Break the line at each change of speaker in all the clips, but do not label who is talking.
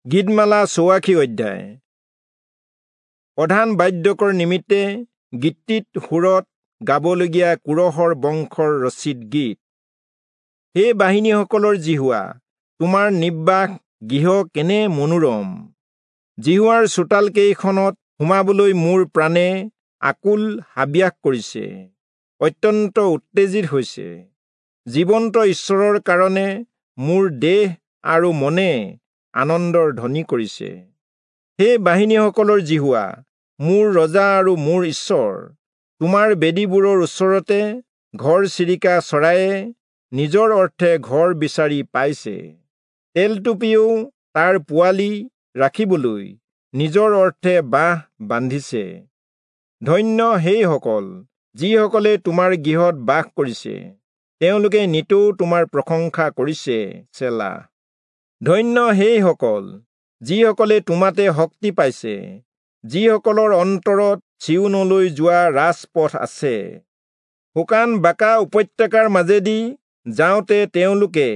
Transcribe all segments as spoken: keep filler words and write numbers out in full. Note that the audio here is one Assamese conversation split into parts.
গীতমালা চৌৱাশী অধ্যায়। প্ৰধান বাদ্যকৰ নিমিত্তে গীতিত সুৰত গাবলগীয়া কোৰহৰ বংশৰ ৰচিত গীত। হে বাহিনীসকলৰ যিহোৱা, তোমাৰ নিবাস গৃহ কেনে মনোৰম! যিহোৱাৰ চোতালকেইখনত সোমাবলৈ মোৰ প্ৰাণে আকুল হাবিয়াস কৰিছে, অত্যন্ত উত্তেজিত হৈছে। জীৱন্ত ঈশ্বৰৰ কাৰণে মোৰ দেহ আৰু মনে আনন্দৰ ধ্বনি কৰিছে। হে বাহিনীসকলৰ যিহোৱা, মোৰ ৰজা আৰু মোৰ ঈশ্বৰ, তোমাৰ বেদীবোৰৰ ওচৰতে ঘৰচিৰিকা চৰায়ে নিজৰ অৰ্থে ঘৰ বিচাৰি পাইছে। তেলটুপিও তাৰ পোৱালি ৰাখিবলৈ নিজৰ অৰ্থে বাঁহ বান্ধিছে। ধন্য সেইসকল যিসকলে তোমাৰ গৃহত বাস কৰিছে, তেওঁলোকে নিতৌ তোমাৰ প্ৰশংসা কৰিছে। চেলা। ধন্য সেইসকল যিসকলে তোমাতে শক্তি পাইছে, যিসকলৰ অন্তৰত চিয়োনলৈ যোৱা ৰাজপথ আছে। শুকান বাঁকা উপত্যকাৰ মাজেদি যাওঁতে তেওঁলোকে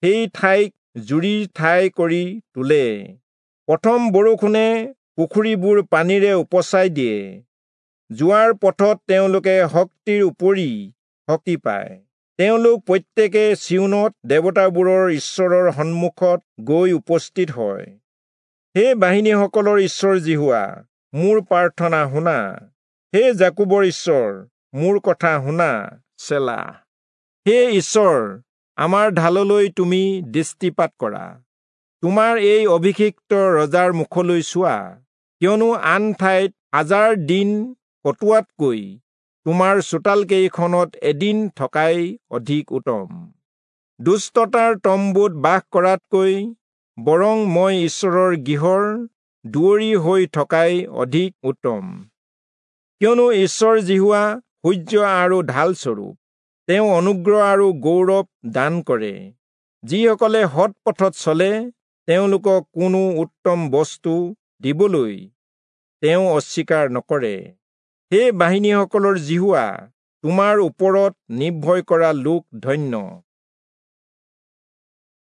সেই ঠাইক জুৰিৰ ঠাই কৰি তোলে। প্ৰথম বৰষুণে পুখুৰীবোৰ পানীৰে উপচাই দিয়ে। যোৱাৰ পথত তেওঁলোকে শক্তিৰ উপৰি শক্তি পায়। তেওঁলোক প্ৰত্যেকে চিয়োনত দেৱতাবোৰৰ ঈশ্বৰৰ সন্মুখত গৈ উপস্থিত হয়। হে বাহিনীসকলৰ ঈশ্বৰ যিহোৱা, মোৰ প্ৰাৰ্থনা শুনা। হে যাকোবৰ ঈশ্বৰ, মোৰ কথা শুনা। চেলা। হে ঈশ্বৰ, আমাৰ ঢাললৈ তুমি দৃষ্টিপাত কৰা, তোমাৰ এই অভিষিক্ত ৰজাৰ মুখলৈ চোৱা। কিয়নো আন ঠাইত হাজাৰ দিন কটোৱাতকৈ তোমাৰ চোতালকেইখনত এদিন থকাই অধিক উত্তম। দুষ্টতাৰ তম্বুত বাস কৰাতকৈ বৰং মই ঈশ্বৰৰ গৃহৰ দুৱৰী হৈ থকাই অধিক উত্তম। কিয়নো ঈশ্বৰ যিহোৱা সূৰ্য আৰু ঢালস্বৰূপ, তেওঁ অনুগ্ৰহ আৰু গৌৰৱ দান কৰে। যিসকলে সৎ পথত চলে, তেওঁলোকক কোনো উত্তম বস্তু দিবলৈ তেওঁ অস্বীকাৰ নকৰে। হে বাহিনীসকলৰ যিহোৱা, তোমাৰ ওপৰত নিৰ্ভয় কৰা লোক ধন্য।